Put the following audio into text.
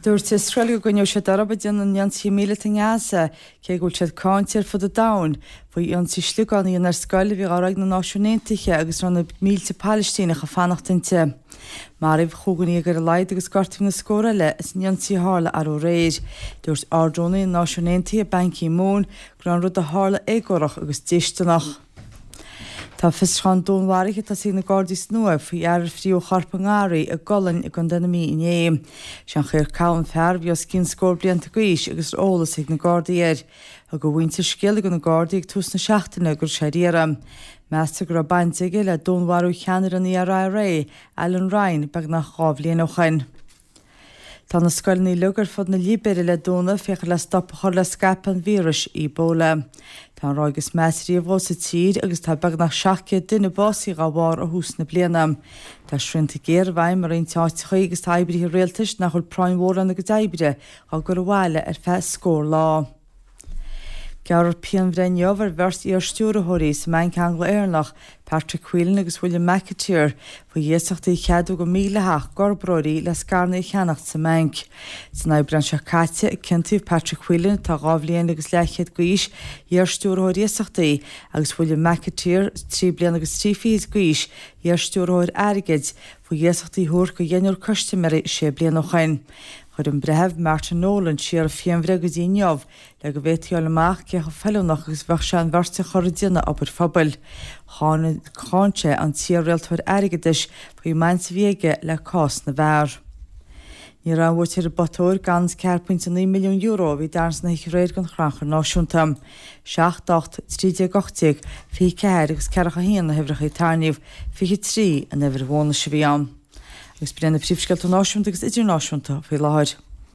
Dúirt Iosrael go gcoinneoidh siad orthu ag déanamh na n-ionsaithe míleata i nGaza, cé go bhfuil siad cáinte ar fud an domhain faoi ionsaí sliogán a dhéanamh ar scoil a bhí á rith ag na Náisiúin Aontaithe agus a raibh na mílte Palaistíneach ag fanacht inti. Maraíodh chúig dhuine ar a laghad agus gortaíodh na scór eile san ionsaí a tharla arú aréir. Dúirt Ard-Rúnaí na Náisiún Aontaithe Ban Ki-moon go raibh an rud a tharla éagórach agus déisteanach. Tá fiosrúchán dúnmharaithe tosaithe ag na Gardaí san Uaimh faoi fhear a fríothadh a chorp i ngarraí i gColainn i gContae na Mí inné. Sé an Cow an fear, a bhí os cionn scór blianta d'aois agus raibh eolas ag na Gardaí air. Thug a mhuintir scéala do na Gardaí ag tús na seachtaine go raibh sé ar iarraidh. Meastar go raibh baint aige le dúnmharú cheannaire an IRA, Alan Ryan, beagnach 2 bhliain ó shoin. Tá na scoileanna uilig ar fud na Libéire le dúnadh féachaint le stop a chur le scaipeadh an víris Ebola. Tá an ráig is measa riamh dhó sa tír agus tá beagnach 700 duine básaithe dhá bharr ó thús na bliana. Tá srianta géara i bhfeidhm i roinnt áiteachaí agus tá oibrithe rialtais nach bhfuil práinn mhór lena gcuid oibre á gcur abhaile ar feadh scór lá. Gearrfar pianbhreith inniu ar bheirt iar-stiúrthóirí sa mBanc Angla-Éireannach, Patrick Whelan agus William McAteer, faoi iasachtaí a cheadú go mídhleathach d'fhorbróirí le scaireanna a cheannacht sa mbanc. San Aibreán seo caite, ciontaíodh Patrick Whelan, atá 2 bhliain agus leathchéad d'aois, iar-stiúrthóir iasachtaí, agus William McAteer, 3 bliana agus 3 fichid d'aois, iar-stiúrthóir airgid, faoi iasachtaí a thabhairt do dheichniúr custaiméirí sé bliana ó shoin. Chuir an Breitheamh Martin Nolan siar an phianbhreith go dtí inniu le go bhféadfaí a fháil amach cé chomh feiliúnach agus a bheadh sé an bheirt a chur ag déanamh obair phobail. Cháin sé an t-iar-rialtóir airgeadais faoin mbaint a bhí aige le cás na bhfear. Ní raibh aon bhuaiteoir ar an bpotóir gann €4.9 milliún a bhí Darren sna hoíche aréir don Chrannchur Náisiúnta. 7, 8, 13, 18, 24 agus 41 na huimhreacha a tarraingíodh, 23 an uimhir bhónais a bhí ann. Agus b'in iad na príomhscéalta náisiúnta agus idirnáisiúnta faoi láthair.